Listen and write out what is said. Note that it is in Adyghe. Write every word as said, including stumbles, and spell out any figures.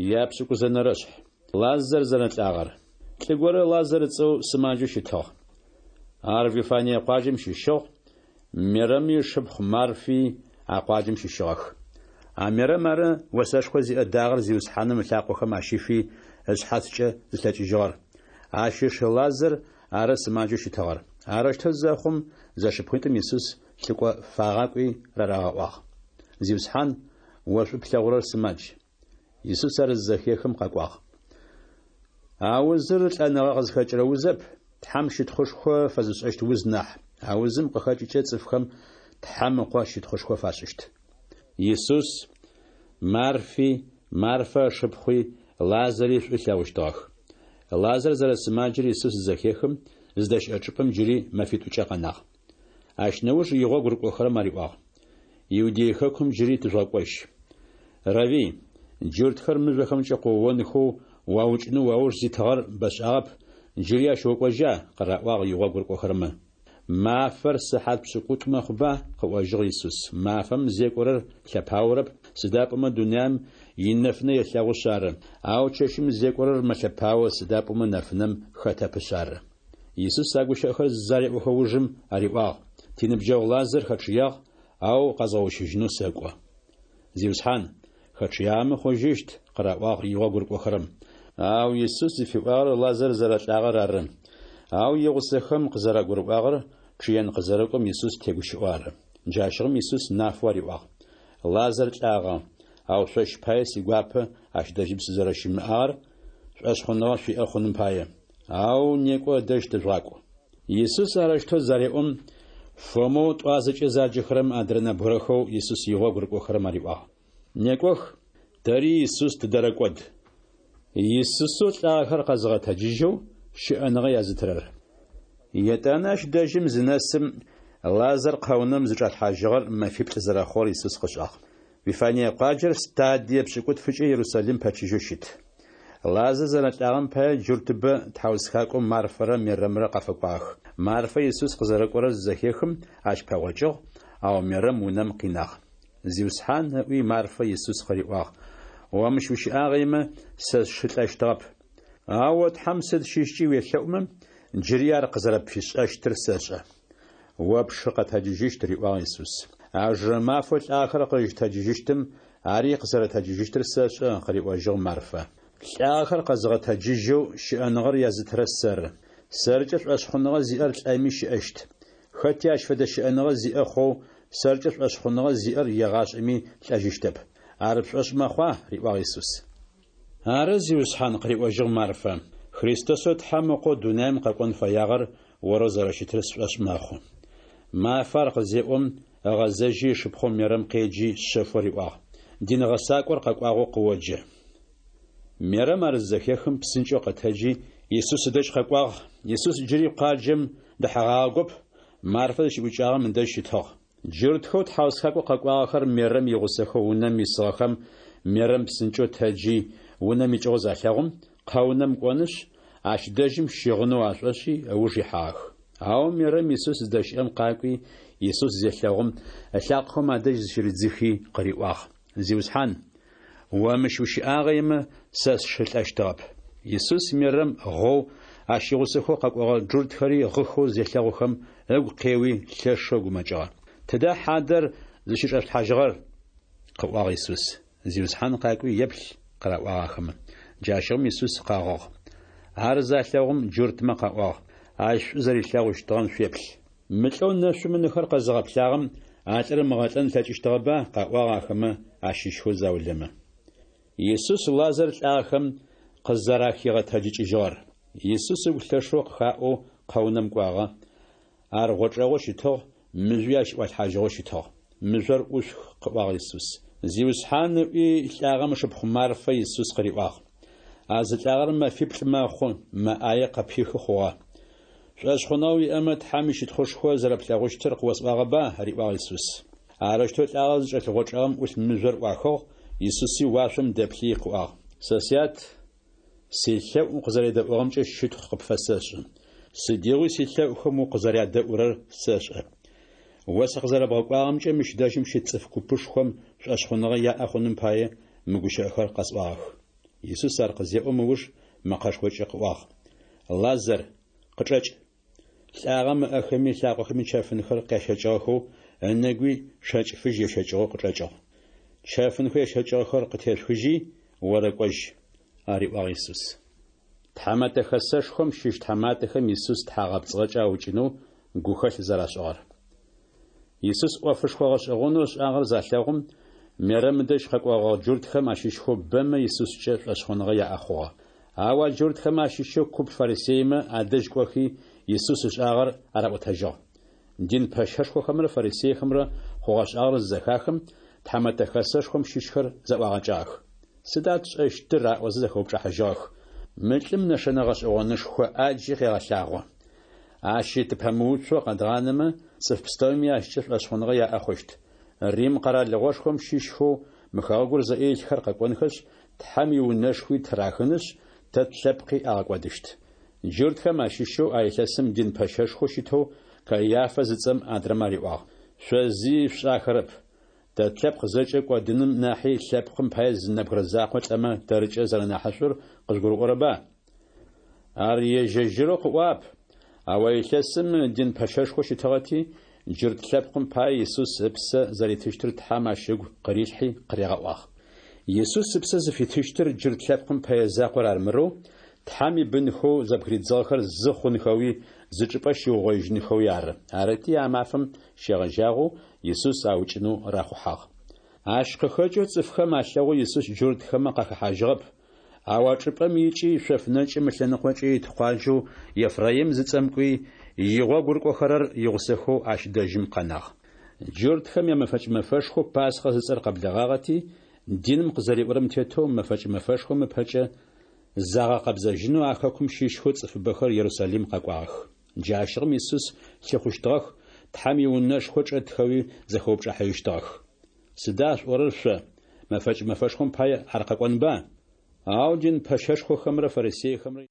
Япшӏыкӏузэнэрэшъхь. Лазар зэрэлӏагъэр. Лӏы горэ Лазар ыцӏэу сымаджэу щытыгъ. Ар Вифание къуаджэм щыщыгъ, Мерэми ышыпхъу Марфи а къуаджэм щыщыгъэх. А Мерэм ары осэшхо зиӏэ дагъэр Зиусхьаным ылъакъохэм ащифи ышъхьацкӏэ зылъэкӏыжьыгъэр. Ащ ыш Лазар ары сымаджэу щытыгъэр. Арэущтэу зэхъум зэшыпхъуитӏум Исус лӏыкӏо фагъакӏуи рарагъэӏуагъ: Зиусхьан, о шӏу плъэгъурэр сымадж. Исус ар зызэхехым къэкӏуагъ. А узыр лӏэныгъэ къызхэкӏырэ узэп, Тхьэм щытхъушхо фэзышӏэщт уз нахь. А узым къыхэкӏыкӏэ цӏыфхэм Тхьэм Ыкъо щытхъушхо фашӏыщт. Исус Марфи, Марфэ ышыпхъуи, Лазари шӏу ылъэгъущтыгъэх. Лазар зэрэсымаджэр Исус зызэхехым, зыдэщыӏэ чӏыпӏэм джыри мэфитӏукӏэ къэнагъ. Ащ нэуж игъогу рыкӏохэрэм ариӏуагъ: Иудей хэкум джыри тыжъугъэкӏожь. Равви, джуртхэр мыжъохэмкӏэ къыоонхэу уаукӏынэу уауж зитыгъэр бэшӏагъэп, джыри ащ окӏожьа? къыраӏуагъ игъогу рыкӏохэрэмэ. Мафэр сыхьат пшӏыкӏутӏу мэхъуба? къыӏожьыгъ Исус. Мафэм зекӏорэр лъэпаорэп, сыда пӏомэ дунаим инэфынэ елъэгъушъ ары. Ау чэщым зекӏорэр мэлъэпао, сыда пӏомэ нэфынэм хэтэпышъ ары. Исус а гущыӏэхэр зареӏохэ ужым ариӏуагъ: Тиныбджэгъу Лазар хэчъыягъ, ау къэзгъэущыжьынэу сэкӏо. Зиусхьан, хэчъыягъэмэ хъужьыщт, къыраӏуагъ игъогу рыкӏохэрэм. Ау Исус зыфиӏуагъэр Лазар зэрэлӏагъэр ары. Ау игъусэхэм къызэрагурыӏуагъэр чъыен къызэрэкӏом Исус тегущыӏэу ары. Джащыгъум Исус нафэу ариӏуагъ: Лазар лӏагъэ, ау шъощ пае сигуапэ ащ дэжьым сызэрэщымыӏагъэр шӏошъхъуныгъэ шъуиӏэ хъуным пае. Ау некӏо ыдэжь тыжъугъакӏу. Исус арэущтэу зареӏом, Фомэу тӏуазэкӏэ заджэхэрэм адрэ нэбгырэхэу Исус игъогу рыкӏохэрэм ариӏуагъ: Некӏох, тэри Исус тыдэрэкӏод. Исусэу лӏагъэхэр къэзыгъэтэджыжьэу щыӏэныгъэ язытырэр. Етӏанэ ащ дэжьым зынэсым, Лазар къэунэм зычӏалъхьажьыгъэр мэфиплӏ зэрэхъугъэр Исус къышӏагъ. Вифание къуаджэр стадие пшӏыкӏутфыкӏэ Иерусалим пэчыжьэу щыт. Лазар зэрэлӏагъэм пае джуртыбэ тхьаусхакӏоу Марфэрэ Мерэмрэ къафэкӏуагъэх. Марфэ Исус къызэрэкӏорэр зызэхехым, ащ пэгъокӏыгъ, ау Мерэм унэм къинагъ. Зиусхьан, ыӏуи Марфэ Исус къыриӏуагъ: О мыщ ущыӏагъэмэ, сэ сшы лӏэщтыгъэп. Ау о Тхьэм сыд щыщкӏи уелъэӏумэ, джыри ар къызэрэпфишӏэщтыр сэшӏэ. О пшы къэтэджыжьыщт, риӏуагъ Исус. Аужырэ мафэу лӏагъэхэр къызщытэджыжьыщтым, ари къызэрэтэджыжьыщтыр сэшӏэ, къыриӏожьыгъ Марфэ. Лӏагъэхэр къэзыгъэтэджыжьэу щыӏэныгъэр язытырэр сэры. Сэркӏэ шӏошъхъуныгъэ зиӏэр лӏэми щыӏэщт. Хэти ащ фэдэ щыӏэныгъэ зиӏэ хъоу сэркӏэ шӏошъхъуныгъэ зиӏэр егъашӏэми лӏэжьыщтэп. Ар пшӏошъ мэхъуа? риӏуагъ Исус. Ары, Зиусхьан, къыриӏожьыгъ Марфэ. Христосэу Тхьэм Ыкъоу дунаим къэкӏон фэягъэр орэу зэрэщытыр сшӏошъ мэхъу. Мафэ ар къызеӏом, ыгъэзэжьи ышыпхъоу Мерэм къеджи шъэфэу риӏуагъ: Дин гъэсакӏор къэкӏуагъэу къыоджэ. Мерэм ар зызэхехым псынкӏэу къэтэджи Исус ыдэжь къэкӏуагъ. Исус джыри къуаджэм дэхьэгъагъэгоп, Марфэ зыщыӏукӏагъэм ыдэжь щытыгъ. Джуртхэу тхьаусхакӏо къэкӏуагъэхэр Мерэм игъусэхэу унэм исыгъэхэм Мерэм псынкӏэу тэджи унэм икӏыгъэу залъэгъум, къэунэм кӏонышъ, ащ дэжьым щыгъынэу ашӏошӏи ыуж ихьагъэх. Ау Мерэм Исус зыдэщыӏэм къакӏуи, Исус зелъэгъум, ылъакъохэм адэжь зыщыридзыхи къыриӏуагъ: Зиусхьан, о мыщ ущыӏагъэмэ, сэ сшы лӏэщтыгъэп. Исус Мерэм гъоу, ащ игъусэхэу къэкӏогъэ джуртхэри гъыхэу зелъэгъухэм, ыгу къеуи лъэшэу гумэкӏыгъэ. Тыда хьадэр зыщычӏэшъулъхьажьыгъэр? къыӏуагъ Исус. Зиусхьан къакӏуи еплъ, къыраӏуагъ ахэмэ. Джащыгъум Исус къэгъыгъ. Ар залъэгъум джуртмэ къаӏуагъ: Ащ шӏу зэрилъэгъущтыгъэм шъуеплъ. Мы лӏэу нэшъум ынэхэр къэзыгъэплъагъэм а лӏыр ымыгъэлӏэн ылъэкӏыщтыгъэба? къаӏуагъ ахэмэ ащыщхэу заулэмэ. Исус Лазар лӏагъэхэм къызэрахигъэтэджыкӏыжьыгъэр. Исус ыгу лъэшэу къыхаӏоу къэунэм кӏуагъэ. Ар гъочӏэгъоу щытыгъ, мыжъуи ащ ӏуалъхьажьыгъэу щытыгъ. Мыжъор ӏушъух, къыӏуагъ Исус. Зиусхьан, ыӏуи лӏагъэм ышыпхъу Марфэ Исус къыриӏуагъ: А зылӏагъэр мэфиплӏ мэхъу, мэ ӏае къыпихы хъугъэ. Шӏошъхъуныгъэ уиӏэмэ, Тхьэм ищытхъушхо зэрэплъэгъущтыр къыосӏуагъэба? риӏуагъ Исус. Арэущтэу лӏагъэр зычӏэлъ гъочӏэгъым ӏулъ мыжъор ӏуахыгъ, Исуси уашъом дэплъи къыӏуагъ: Сэ сят, силъэӏу укъызэредэӏугъэмкӏэ щытхъу къыпфэсэшӏы. Сыдигъуи силъэӏухэм укъызэрядэӏурэр сэшӏэ. О сыкъызэрэбгъэкӏуагъэмкӏэ мыщ дэжьым щыт цӏыф купышхом шӏошъхъуныгъэ яӏэ хъуным пае мы гущыӏэхэр къэсӏуагъэх. Исус ар къызеӏом ыуж мэкъэшхокӏэ къыӏуагъ: Лазар, къычӏэкӏ! Лӏагъэм ыӏэхэми ылъакъохэми чэфынхэр къящэкӏыгъэхэу, ынэгуи шэкӏ фыжь ещэкӏыгъэу къычӏэкӏыгъ. Чэфынхэу ещэкӏыгъэхэр къытешъухыжьи, орэкӏожь, ариӏуагъ Исус. Тхьэмэтэ Хэсэшхом щыщ тхьаматэхэм Исус тхьагъэпцӏыгъэкӏэ аукӏынэу гухэлъ зэрашӏыгъэр. Исус ӏофышхо гъэшӏэгъонэу ышӏагъэр залъэгъум, Мерэм ыдэжь къэкӏогъэгъэ джуртхэм ащыщхэу бэмэ Исускӏэ шӏошъхъуныгъэ яӏэ хъугъэ. Ау а джуртхэм ащыщэу куп фарисеймэ адэжь кӏохи, Исус ышӏагъэр араӏотэжьыгъ. Дин пэщэшхохэмрэ фарисейхэмрэ хъугъэ-шӏагъэр зызэхахым, Тхьэмэтэ Хэсэшхом щыщхэр зэӏуагъэкӏагъэх. Сыда тшӏэщтыр? аӏозэ зэхэупчӏыхьажьыгъэх. Мы лӏым нэшэнэ гъэшӏэгъонышхо ӏаджи къегъэлъагъо. Ащи тыпэмыуцоу къэдгъанэмэ, цӏыф пстэуми ащкӏэ шӏошъхъуныгъэ яӏэ хъущт. Рим къэралыгъошхом щыщхэу мы хэгъэгур зыӏэ илъхэр къэкӏонхэшъ, Тхьэм иунэшхуи ттырахынышъ, тэ тлъэпкъи агъэкӏодыщт. Джуртхэм ащыщэу а илъэсым дин пэщэшхоу щытэу Каиафэ зыцӏэм адрэмэ ариӏуагъ: Шъо зи шъушӏахэрэп. Тэ тлъэпкъ зэкӏэ кӏодыным нахьи лъэпкъым пае зы нэбгырэ закъо лӏэмэ тэркӏэ зэрэнахьышӏур къыжъугурыӏорэба? Ар ежь-ежьырэу къыӏуагъэп, ау а илъэсым дин пэщэшхоу щытыгъэти, джурт лъэпкъым пае Исус ыпсэ зэритыщтыр Тхьэм ащ ыгу къырилъхьи къыригъэӏуагъ. Исус ыпсэ зыфитыщтыр джурт лъэпкъым пэе закъор армырэу, Тхьэм ибынхэу зэбгыридзыгъэхэр зы хъунхэуи, зы чӏыпӏэ щиугъоижьынхэуи ары. Арыти, а мафэм щегъэжьагъэу Исус аукӏынэу рахъухьагъ. Ащ къыхэкӏэу цӏыфхэм алъэгъоу Исус джуртхэмэ къахэхьажьыгъэп, ау а чӏыпӏэм икӏи, шъоф нэкӏым ылъэныкъокӏэ ит къуаджэу Ефраим зыцӏэм кӏуи, игъогу рыкӏохэрэр игъусэхэу ащ дэжьым къэнагъ. Джуртхэм ямэфэкӏ мэфэшхоу Пасхъэ зыцӏэр къэблэгъагъэти, диным къызэриӏорэм тетэу мэфэкӏ мэфэшхом ыпэкӏэ загъэкъэбзэжьынэу а хэкум щыщхэу цӏыфыбэхэр Ерусалим къэкӏуагъэх. Джащыгъум Исус лъыхъущтыгъэх, Тхьэм иунэшхо чӏэтхэуи зэхэупчӏыхьажьыщтыгъэх. Сыда шъуӏорэр шъо? Мэфэкӏ мэфэшхом пае ар къэкӏонба? Ау дин пэщэшхохэмрэ фарисейхэмрэ